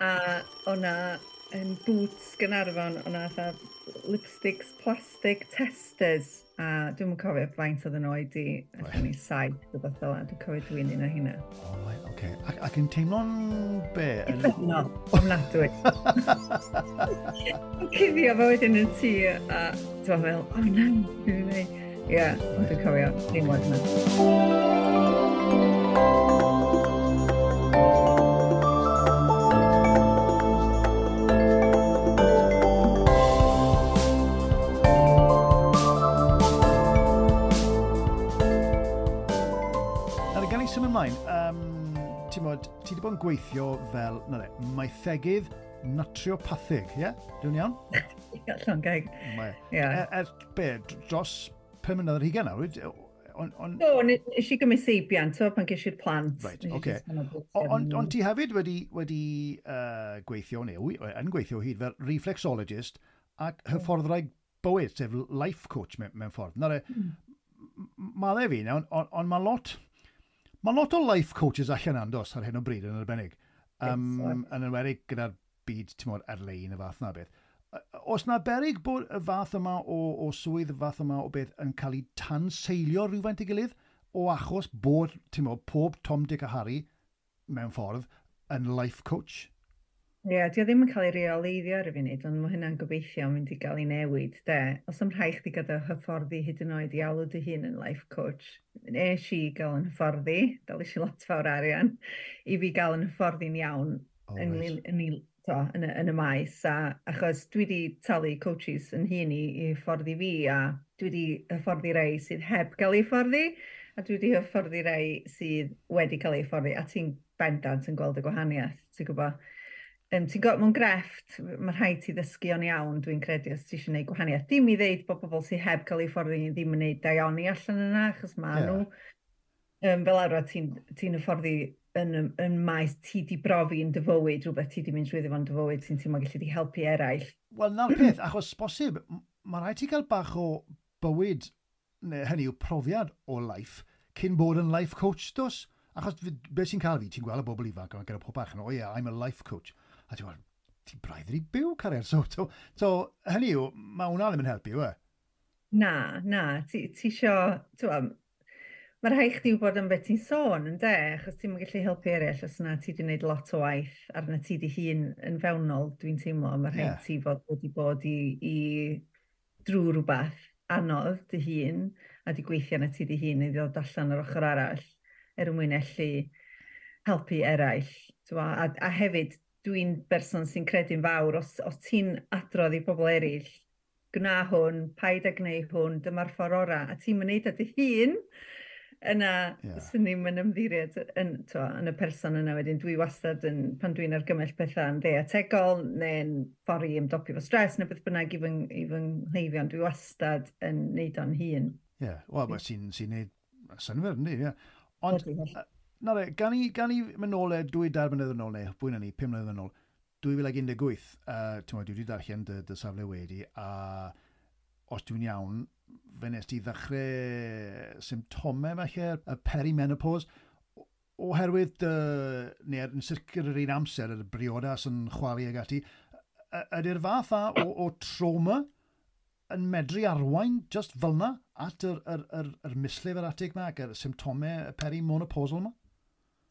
a o'na yn boots Gaernarfon, o'na fatha lipsticks, plastic testers, a dwi'm yn cofio faint oedd yn oed i, allan i saith, rhywbeth fel 'na, dwi'n cofio dwi'n un o hynna.
O, oh, right, okay. Ac, ac yn teimlo'n be?
Uffernol, ofnadwy. Yn cuddio fo wedyn yn tŷ, a dwi'n meddwl, o na, dwi'n gwneud. Ie, ond dwi'n cofio teimlad yna.
Nawr, gan i symud ymlaen, um, ti'n bod, ti wedi bod yn gweithio fel, na le, maethegydd naturopathig, ie? Yeah? Dwi'n iawn?
Ie, llond geg.
Mae.
Ie.
Er, er, be, dros pum mlynedd ar hugain nawr, on, on...
Do, nes i gymryd seibiant, so, pan ges i'r plant.
Right, oce. Ond on ti hefyd wedi, wedi uh, gweithio, neu yn gweithio hyd fel reflexologist ac hyfforddwraig bywyd, sef life coach mewn, mewn ffordd. Nawr, mm. Mae fi, ond on, on mae lot, mae lot o life coaches allan andos ar hyn o bryd yn arbennig. Um, yn enwedig gyda'r byd, ti'n modd, ar-lein y fath na beth. Oes na berig bod y fath yma o, o swydd, y fath yma o beth yn cael ei tanseilio rhywfaint i gilydd o achos bod, ti'n modd, pob Tom, Dick a Harry mewn ffordd yn life coach?
Ie, yeah, di o ddim yn cael ei reoleiddio ar y funud, ond mae hynna'n gobeithio yn mynd i gael ei newid, de. Os am rhaid chdi gyda hyfforddi hyd yn oed i alw dy hun yn life coach, nes i gael yn hyfforddi, dalu i lot fawr arian, i fi gael yn hyfforddi'n iawn oh, yn, right. yn, yn, to, yn, y, yn y maes. A, achos dwi wedi talu coaches yn hun i, i hyfforddi fi, a dwi wedi hyfforddi rei sydd heb gael ei hyfforddi, a dwi wedi hyfforddi rei sydd wedi cael ei hyfforddi, a ti'n bendant yn gweld y gwahaniaeth, ti'n gwybod? Um, ti'n gwybod, mewn grefft, mae rhaid ti ddysgu o'n iawn, dwi'n credu, os ti eisiau gwneud gwahaniaeth. Dim i ddeud bod pobl sydd heb cael eu hyfforddi ddim yn gwneud daioni allan yna, achos ma yeah. nhw. Um, fel arfer, ti'n ti hyfforddi yn, yn maes ti di brofi yn dy fywyd, rhywbeth ti di mynd trwyddo fo'n dy fywyd sy'n teimlo gallu di helpu eraill.
Wel, na'r peth, achos bosib, mae rhaid ti gael bach o bywyd, neu hynny yw profiad o life, cyn bod yn life coach, dos? Achos beth sy'n cael fi, ti'n gweld y bobl ifanc, gyda pob bach yn, "Oh yeah, I'm a life coach." A ti'n gweld, ti'n braidd wedi byw, cariad. So, so, so, hynny yw, mae hwnna ddim yn helpu, yw e?
Na, na. Ti, ti isio, ti'n mae rhaid chdi wybod am beth ti'n sôn, yn de, achos ti'n gallu helpu eraill os na ti wedi gwneud lot o waith arna ti di hun yn fewnol, dwi'n teimlo. Mae rhaid yeah. ti fod wedi bod i, i drwy rhywbeth anodd dy hun a di gweithio na ti dy hun i ddod allan yr ochr arall er mwyn allu helpu eraill. A, a hefyd, dwi'n berson sy'n credu'n fawr, os, os ti'n adrodd i bobl eraill, "Gwna hwn, paid â gwneud hwn, dyma'r ffordd orau," a ti'n mynd â dy hun, yna yeah. swn i'n mynd ymddiried yn, to, yn y person yna wedyn. Dwi wastad yn, pan dwi'n argymell pethau yn ddietegol neu'n ffordd i ymdopi fo stres neu beth bynnag i fy, i fy nghleifion, dwi wastad yn neud o'n hun.
Ie, yeah. Wel, sy'n sy neud synnwyr, yndi, ie. Ond, na re, gan i, gan i mynd nôl e dwy dair mlynedd yn ôl, neu fwy na ni, pum mlynedd yn ôl, dwy fil un deg wyth, uh, ti'n dwi wedi darllen dy, dy safle wedi, a os dwi'n iawn, fe nes ti ddechrau symptomau falle, y perimenopause, oherwydd dy, neu yn sicr yr un amser, y briodas yn chwalu ag ati, ydy'r fath a o, o trauma yn medru arwain just fel yna at yr, yr, yr, yr mislif yr atig yma ac yr symptomau perimenopausal yma?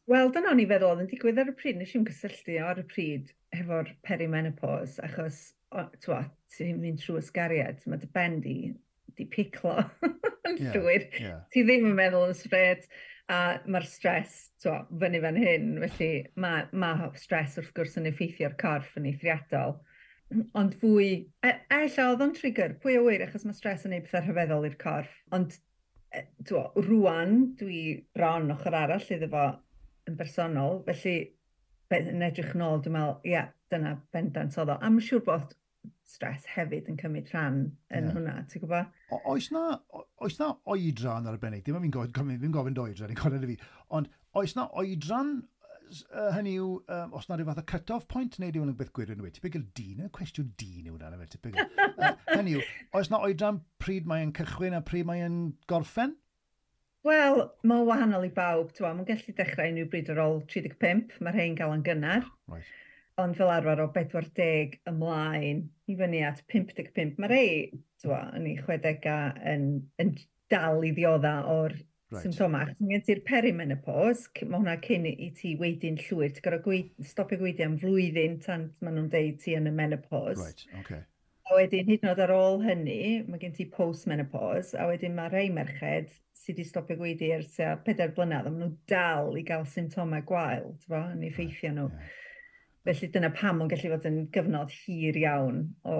Wel, dyna o'n i feddwl oedd yn digwydd ar y pryd. Nes i'n cysylltu ar y pryd hefo'r perimenopause, achos twa, ti'n mynd trwy ysgariad, mae dy ben di, di piclo yn yeah, llwyr. Yeah. Ti ddim yn meddwl yn straight, a mae'r stress twa, fyny fan hyn, felly mae, mae stress wrth gwrs yn effeithio'r corff yn eithriadol. Ond fwy, e, ella oedd o'n trigger, pwy o wir, achos mae stress yn neud pethau rhyfeddol i'r corff. Ond e, twa, rwan, dwi bron ochr arall iddo fo yn bersonol, felly yn edrych nôl, dwi'n meddwl, ie, yeah, dyna bendant oedd o. A mae'n siŵr bod stress hefyd yn cymryd rhan yn yeah. hwnna, ti'n gwybod?
Oes na, oes na oedran arbennig? Dim ond fi'n gofyn, fi'n gofyn oedran, i'n gofyn fi, ond oes na oedran, uh, hynny yw, um, os na rhyw fath o cut-off point, neu yw hwnna'n beth gwirion yw e? Typical dyn, y cwestiwn dyn yw hwnna, typical. uh, hynny yw, oes na oedran pryd mae'n cychwyn a pryd mae'n gorffen?
Wel, mae'n wahanol i bawb. Mae'n gallu dechrau unrhyw bryd ar ôl tri deg pump, mae rhai'n gael yn gynnar. Right. Ond fel arfer o pedwar deg ymlaen i fyny at pump deg pump. Mae rhai twa, yn ei chwedegau yn, yn dal i ddiodda o'r right. symptomau. Achos mae gen ti'r perimenopause, mae hwnna cyn i ti waedu'n llwyr. Ti'n gorfod gweud, stopio gwaedu am flwyddyn tan maen nhw'n deud ti yn y menopause.
Right, okay.
A wedyn, hyd yn oed ar ôl hynny, mae gen ti post-menopause, a wedyn mae rhai merched sydd wedi stopio gwaedu ers tua pedair blynedd, a maen nhw dal i gael symptomau gwael, ti'n yn effeithio nhw. Yeah. Felly dyna pam mae'n gallu fod yn gyfnod hir iawn o,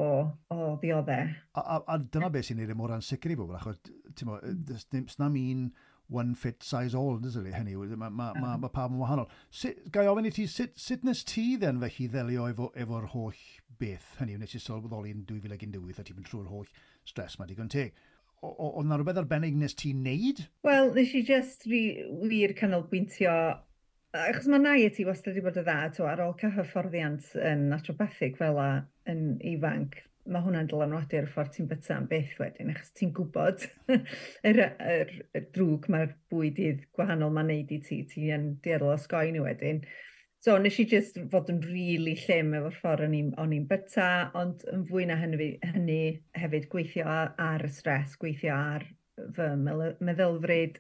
o ddioddau.
A, a, a dyna beth sy'n neud e mor ansicr i bobl, achos ti'n mo, mm. un one fit size all, does it? Hynny, mae ma, ma, ma pawb yn wahanol. Sut, gai ofyn i ti, sut, sut nes ti then felly ddelio efo, efo'r holl beth? Hynny, nes i sylweddoli yn dwy fil un deg wyth a ti'n mynd trwy'r holl stres ma digon teg. Oedd na rhywbeth arbennig nes ti wneud?
Wel, nes i just ri, wir canolbwyntio achos mae nai ti wastad wedi bod yn dda, to, ar ôl cael hyfforddiant yn naturopathic fel a yn ifanc, Mae hwnna'n dylanwadu ar y ffordd ti'n byta am byth wedyn, achos ti'n gwybod yr, yr, yr drwg mae'r bwydydd gwahanol mae'n neud i ti, ti'n dueddol o osgoi nhw wedyn. So nes i just fod yn really llym efo'r ffordd o'n i'n o'n i'n byta, ond yn fwy na hynny, hynny hefyd gweithio ar, ar y stres, gweithio ar fy meddylfryd,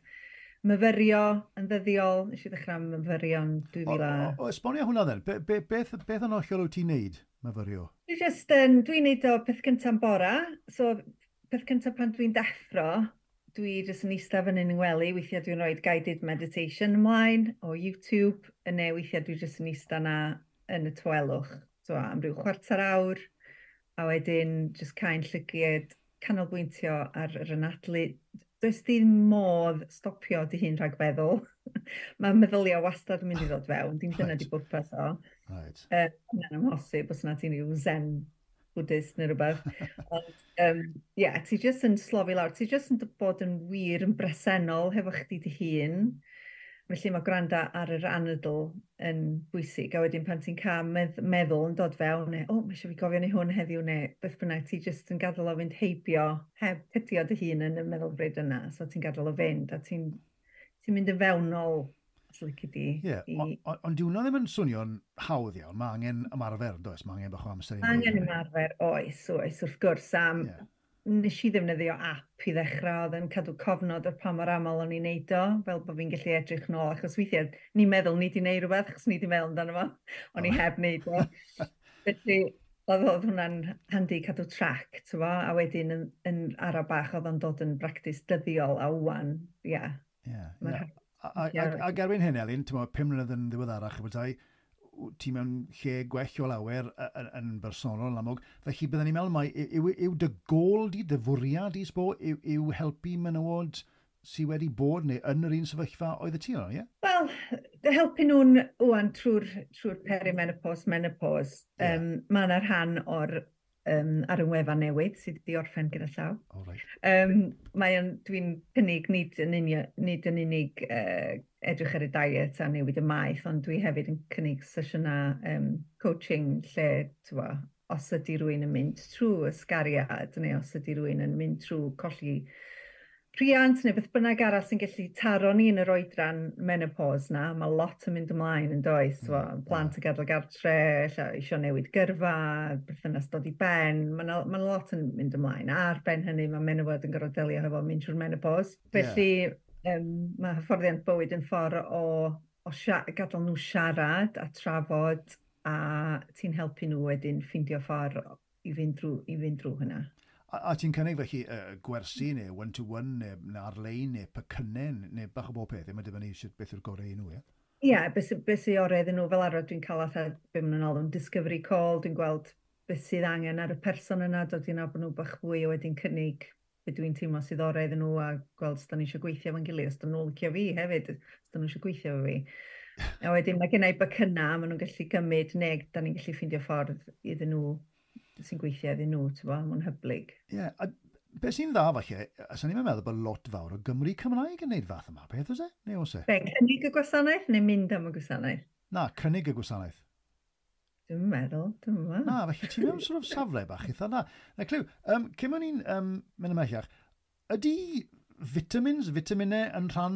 myfyrio yn ddyddiol. Nes i ddechrau myfyrio yn dwy fil a...
O, o, o, esbonio hwnna then. Be, be, beth, beth yn hollol wyt ti'n neud, myfyrio?
Dwi just, um, dwi'n neud o peth cyntaf yn bora. So, peth cyntaf pan dwi'n deffro, dwi jyst yn eistedd fyny yn ngwely. Weithiau dwi'n rhoi guided meditation ymlaen o YouTube, neu weithiau dwi jyst yn eistedd na yn y tawelwch. So, am ryw chwarter awr, a wedyn jyst cau'n llygiad, canolbwyntio ar yr anadlu. Does dim modd stopio dy hun rhag feddwl. Mae meddyliau wastad yn mynd i ddod fewn. Dim dyna
Right.
di bwrpas o.
Right.
Uh, Hwnna'n amhosib os na ti'n rhyw zen Buddhist neu rhywbeth. Ond, um, yeah, ti jyst yn slofi lawr. Ti jyst yn bod yn wir yn bresennol hefo chdi dy hun. Felly mae gwrando ar yr anadl yn bwysig. A wedyn pan ti'n cael medd meddwl yn dod fewn, neu, o, mae eisiau fi gofio neu hwn heddiw, neu beth bynnag, ti jyst yn gadael o fynd heibio, heb cydio dy hun yn y meddylfryd yna. So ti'n gadael o fynd, a ti'n ti mynd yn fewnol, os lici di.
Ie,
i-
ond on, dyw hwnna ddim yn swnio'n hawdd iawn. Mae angen ymarfer, does? Mae angen bach o amser i
Mae
wneud
angen
hynny.
ymarfer, oes, oes, wrth gwrs. Am,
Ie.
Nes i ddefnyddio app i ddechrau, oedd yn cadw cofnod o'r pa mor aml o'n i'n neud o, fel bod fi'n gallu edrych nôl, achos weithiau ni'n meddwl ni wedi neud rhywbeth, achos ni wedi meddwl amdano fo, o'n i
O.
heb neud o. Felly, oedd oedd hwnna'n handi cadw track, ti'n bo, a wedyn yn, yn ara bach oedd o'n dod yn bractis dyddiol a wan, ie.
Ie,
Ma'n
ie.
rhaid-
A, a,
Ie.
a, ac erbyn hyn, Elin, ti'n meddwl, pum mlynedd yn ddiweddarach, bethau, ti mewn lle gwell o lawer y- yn, yn bersonol yn amlwg. Felly byddwn ni'n meddwl mai, yw, yw dy gôl di, dy fwriad di, sbo, yw, yw helpu menywod sydd wedi bod neu yn yr un sefyllfa oedd y ti yno, ie?
Wel, helpu nhw'n wan trwy'r trwy perimenopause, menopause.
Ie.
Um, mae yna rhan o'r um, ar y wefan newydd sydd wedi orffen gyda llaw.
O, reit.
Um, mae o'n, dwi'n cynnig nid yn unig, nid yn unig uh, edrych ar y diet a newid y maeth, ond dwi hefyd yn cynnig sesiynau um, coaching lle, t'wo, os ydy rhywun yn mynd trwy ysgariad neu os ydy rhywun yn mynd trwy colli rhiant neu beth bynnag arall sy'n gallu taro ni yn yr oedran menopause na, mae lot yn mynd ymlaen yn does, mm,
Mm,
plant yn gadael gartre, ella isio newid gyrfa, berthynas dod i ben, mae 'na ma' 'na lot yn mynd ymlaen. A ar ben hynny mae menywod yn gorfod delio hefo mynd trwy'r menopause. Felly um, mae hyfforddiant bywyd yn ffordd o, o sia gadael nhw siarad a trafod, a ti'n helpu nhw wedyn ffeindio ffordd i fynd drwy, i fynd drwy hynna.
A, a ti'n cynnig felly uh, gwersi neu one-to-one neu, neu ar-lein neu pecynnau neu bach o bob peth. Mae'n dibynnu sut beth yw'r gorau i nhw, ie?
Ie, yeah, beth sy- beth sy'n orau iddyn nhw, fel arfer dwi'n cael fatha, be maen nhw'n alw'n discovery call, dwi'n gweld beth sydd angen ar y person yna, dod i nabod nhw bach fwy a wedyn cynnig be dwi'n teimlo sydd orau iddyn nhw a gweld os da ni eisiau gweithio efo'n gilydd, os da nhw'n licio fi hefyd, os da nhw eisiau gweithio efo fi. A wedyn mae gennau becynnau, maen nhw'n gallu gymryd neu da ni'n gallu ffeindio ffordd iddyn nhw sy'n gweithio iddyn nhw, ti'n bo, mae'n hyblyg.
Ie, yeah, a beth sy'n dda falle, a sa'n i'n meddwl bod lot fawr o Gymru Cymraeg yn neud fath yma, beth oes e? Neu oes e?
Be, cynnig y gwasanaeth neu mynd am y gwasanaeth?
Na, cynnig y gwasanaeth.
Dwi'n meddwl, dwi'n meddwl.
Na, felly ti'n mewn sort of safle bach eitha dda. Na, clyw, um, cyn o'n i'n um, mynd ymhellach, ydy vitamins, vitaminau yn rhan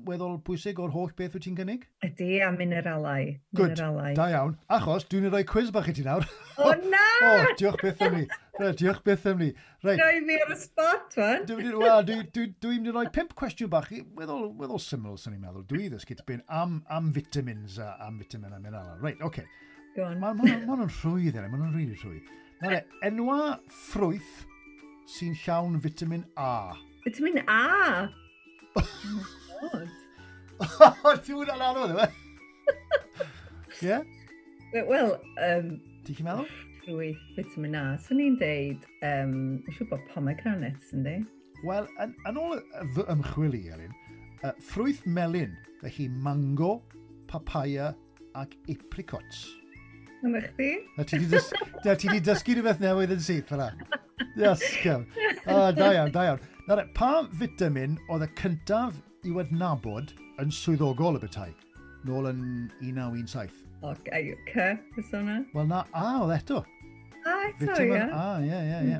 weddol bwysig o'r holl beth wyt ti'n cynnig?
Ydy, a mineralau.
Good,
Mineralau.
da iawn. Achos dwi'n rhoi quiz bach i ti nawr.
O na!
O, diolch byth am ni. Reit, diolch byth am ni. Reit,
Rhoi fi ar y spot, wan.
Dwi'n mynd i- wel, dwi, dwi, dwi'n mynd i roi pump cwestiwn bach, i- weddol, weddol syml, sy'n ni'n meddwl. Dwi ddysgu tipyn am, am vitamins a am vitamin a mineral. Reit, oce. Okay.
Go on.
Mae ma, ma nhw'n rhwydd, yna, ma nhw'n rili rhwydd. Nawr, enwa ffrwyth sy'n llawn vitamin A.
Vitamin A! Oh my God.
Ti'n hwnna'n anodd, yw e? Ie?
Wel, um,
Ti'n chi'n meddwl?
Ffrwyth vitamin A, swn i'n deud, um, mae'n siŵr bod pomegranates, yndi?
Wel, yn, yn ôl y- fy ymchwil i, Elin, uh, ffrwyth melyn, felly mango, papaya ac apricots.
Yna chdi?
Na ti 'di dys na ti 'di dysgu rhywbeth newydd yn syth fyna. Yes, Cem. Ah, da iawn, da iawn. Nawr, pa vitamin oedd y cyntaf i'w adnabod yn swyddogol y bethau? Nôl yn un naw un saith.
O, C, fysa hwnna?
Wel na, A oedd eto.
A eto,
Vitamin A, ie, ie, ie.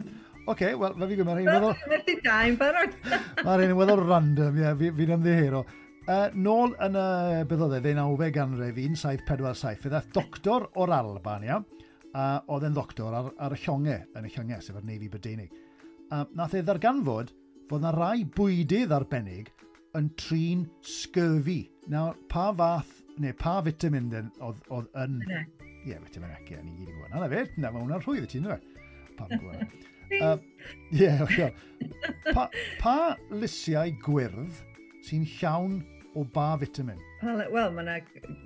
Oce, wel, fe fi gwybod, mae'r rhain weddol...
Methu da yn barod.
Mae'r rhain yn weddol random, ie, fi, fi'n ymddiheuro. Uh, nôl yn y, beth oedd e, ddeunawfed ganrif, un saith pedwar saith, fe ddaeth doctor o'r Alban, ia, a oedd e'n ddoctor ar, ar y llongau, yn y llongau, sef yr Navy Brydeinig. A nath e ddarganfod fod na rai bwydydd arbennig yn trin scurvy. Nawr, pa fath, neu pa vitamin oedd, oedd yn... Ie, yeah, vitamin E, ie, ni gyd yn gwybod. Na, na fe, na, mae hwnna'n rhwydd i ti, ynddo fe? Pam yn gwybod. Ie, oce. Pa, pa lysiau gwyrdd sy'n llawn o ba vitamin?
Wel, mae yna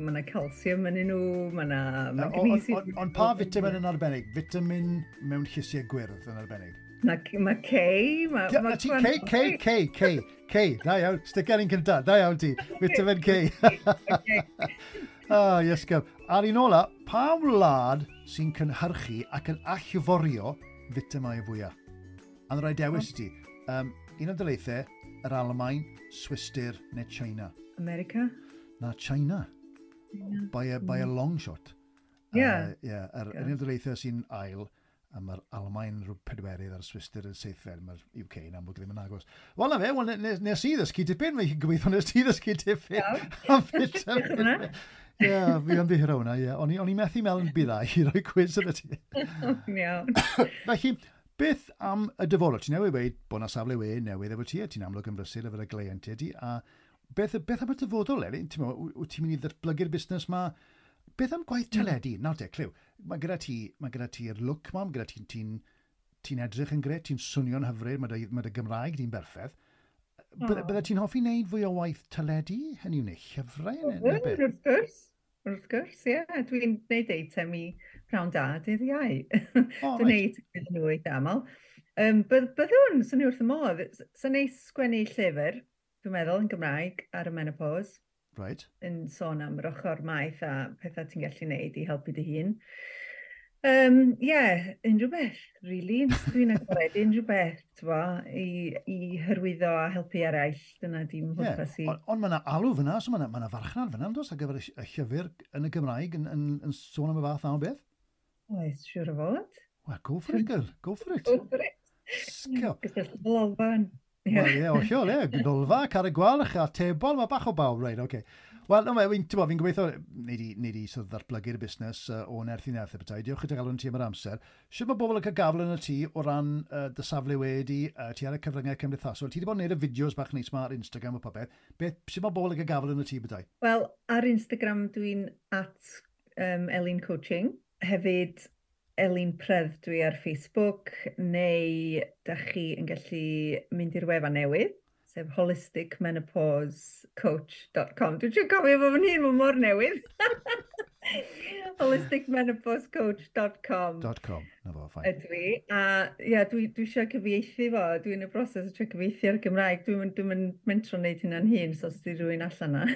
ma calcium yn nhw, mae yna magnesium.
Ond on, on, pa vitamin yn arbennig? Vitamin mewn llysiau gwyrdd yn arbennig?
Mae ma K. Mae
ma ti K, K, K, K, K. Da iawn, sticker un cynta, da iawn ti. Vitamin K. Ah, yes, gyf. A'r un ola, pa wlad sy'n cynhyrchu ac yn allforio vitamau fwyaf? A rhaid dewis i ti. Um, un o daleithiau, yr Almaen, Swistir neu China?
America?
Na, China. China. By a, by a long shot.
Yeah.
Uh, yeah, yr yeah. Un o daleithiau sy'n ail, a mae'r Almaen rhyw pedwerydd a'r Swistir yn seithfed, mae'r U K yn amlwg ddim yn agos. Wel, na fe, wel, nes, nes i ddysgu tipyn, mae'n gobeithio nes ti ddysgu tipyn. Am vitamin. Ie, yeah, fi ymddiheuro hwnna, ie. O'n i methu meddwl yn byddai i roi cwis yn y ti.
Iawn.
Felly, beth am y dyfodol? Ti'n newydd weud bod na safle we newydd efo ti, a ti'n amlwg yn brysur efo'r gleientiaid di, a beth, beth am y dyfodol, Elin? Ti'n meddwl, wyt ti'n mynd i ddatblygu'r busnes ma? Beth am gwaith teledu? Nawr te, clyw, mae gyda ti, mae gyda ti'r look ma, mae gyda ti'n ti, ti edrych yn gret, ti'n swnio'n hyfryd, mae dy, mae dy Gymraeg di'n berffaith. Oh. Bydde ti'n hoffi wneud fwy o waith teledu? Hynny yw, neu llyfrau?
Neu beth? Wrth gwrs, wrth gwrs, ie. Yeah. Dwi'n gwneud eitem i Prawn Da dydd Iau. Oh, dwi'n gwneud iddyn nhw eitha aml. Um, byddwn, swn i wrth y modd. Sa'n neis sgwennu llyfr, dwi'n meddwl, yn Gymraeg, ar y menopause.
Right.
Yn sôn am yr ochr maeth a pethau ti'n gallu gwneud i helpu dy hun. Um, yeah, unrhyw beth, really. Dwi'n agored unrhyw beth, t'bo, i, i hyrwyddo a helpu eraill. Dyna dim pwrpas i.
Yeah. Ond on mae yna alw fyna, so mae yna ma farchnad fyna, does, ar gyfer y llyfr yn y Gymraeg yn, yn, yn sôn am y fath na o beth?
Oes, siŵr o fod.
Well, go for it, girl. Go for it.
Go for it.
Sgio.
Gysylltu Lolfa.
Wel, ie, hollol, ie. Lolfa, Carreg Gwalch a Tebol, mae bach o bawb, reit, oce. Okay. Wel, no, fi'n fi gobeithio wneud i, wneud i sort of ddatblygu'r busnes uh, o nerth i nerth y bethau. Diolch i dy galon ti am yr amser. Sut mae bobl yn cael gafel yn y tŷ o ran uh, dy safle wedi, uh, ti ar y cyfryngau cymdeithasol? Ti wedi bod yn gwneud y fideos bach neis ma ar Instagram a popeth. Beth, sut mae bobl yn cael gafel yn y tŷ bethau?
Wel, ar Instagram dwi'n at um, Elin Coaching. Hefyd, Elin Predd dwi ar Facebook, neu da chi yn gallu mynd i'r wefan newydd, sef holistic menopause coach dot com. Dwi'n siŵr cofio fo fan hyn, mae mor newydd. holistic menopause coach dot com.
.com, na fo, fine.
Ydw i. A ia, dwi, dwi eisiau cyfieithu fo. Dwi'n y broses o trio cyfieithu ar Gymraeg. Dwi'n dwi mentro wneud hynna'n hun, so os di rhywun allan na.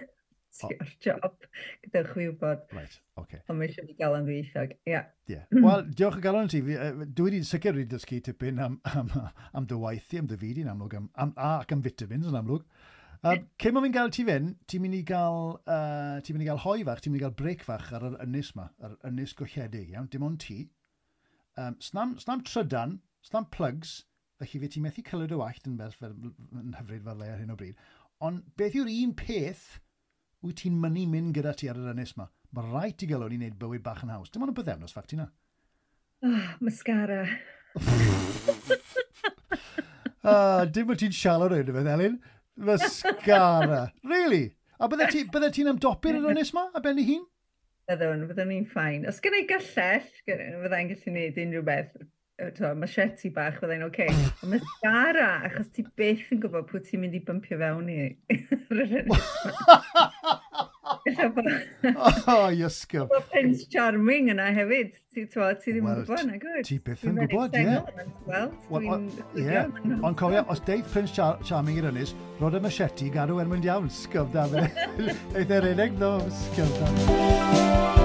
O'r job, gadewch fi wybod.
Right, okay.
Ond mae eisiau fi gael yn ddwyieithog, ie. Yeah.
Yeah. Wel, diolch o galon ti. Dwi wedi sicr wedi dysgu tipyn am, am, am dy waith i, am dy fyd i'n amlwg, am, am, ac am vitamins yn amlwg. Um, cyn mae fi'n gael ti fynd, ti'n mynd i gael, uh, ti'n mynd i gael hoi fach, ti'n mynd i gael break fach ar yr ynys ma, yr ynys golledig, iawn, dim ond ti. Um, snam, snam trydan, snam plugs, felly fe ti'n methu cylyd o wallt yn, fel, fel, yn hyfryd fel le ar hyn o bryd. Ond beth yw'r un peth wyt ti'n mynnu mynd gyda ti ar yr ynys ma? Mae rhaid ti gael o'n i wneud bywyd bach yn haws. Dim ond y bythefnos, ffact ti na.
Oh, mascara.
Ah, dim bod ti'n siarad o'r un, Elin. Mascara. Really? A bydde ti'n bydde ti ymdopi'r yr ynys ma, a ben ei hun?
Byddwn, byddwn ni'n ffain. Os gen i gyllell, fyddai'n gallu gwneud unrhyw beth. Machete bach, fyddai'n oce. Okay. Ond mascara, achos ti byth yn gwybod pwy ti'n mynd i bympio fewn i.
Oh, Iesgob.
Mae Prince Charming yna hefyd. Ti, ti ddim yn gwybod, na gwyd.
Ti byth yn gwybod, ie. Ie. Ond cofio, os deith Prince Char Charming i'r ynys, rod y machete gadw er mynd iawn. Sgob da. Eith e'r unig, no, sgob da.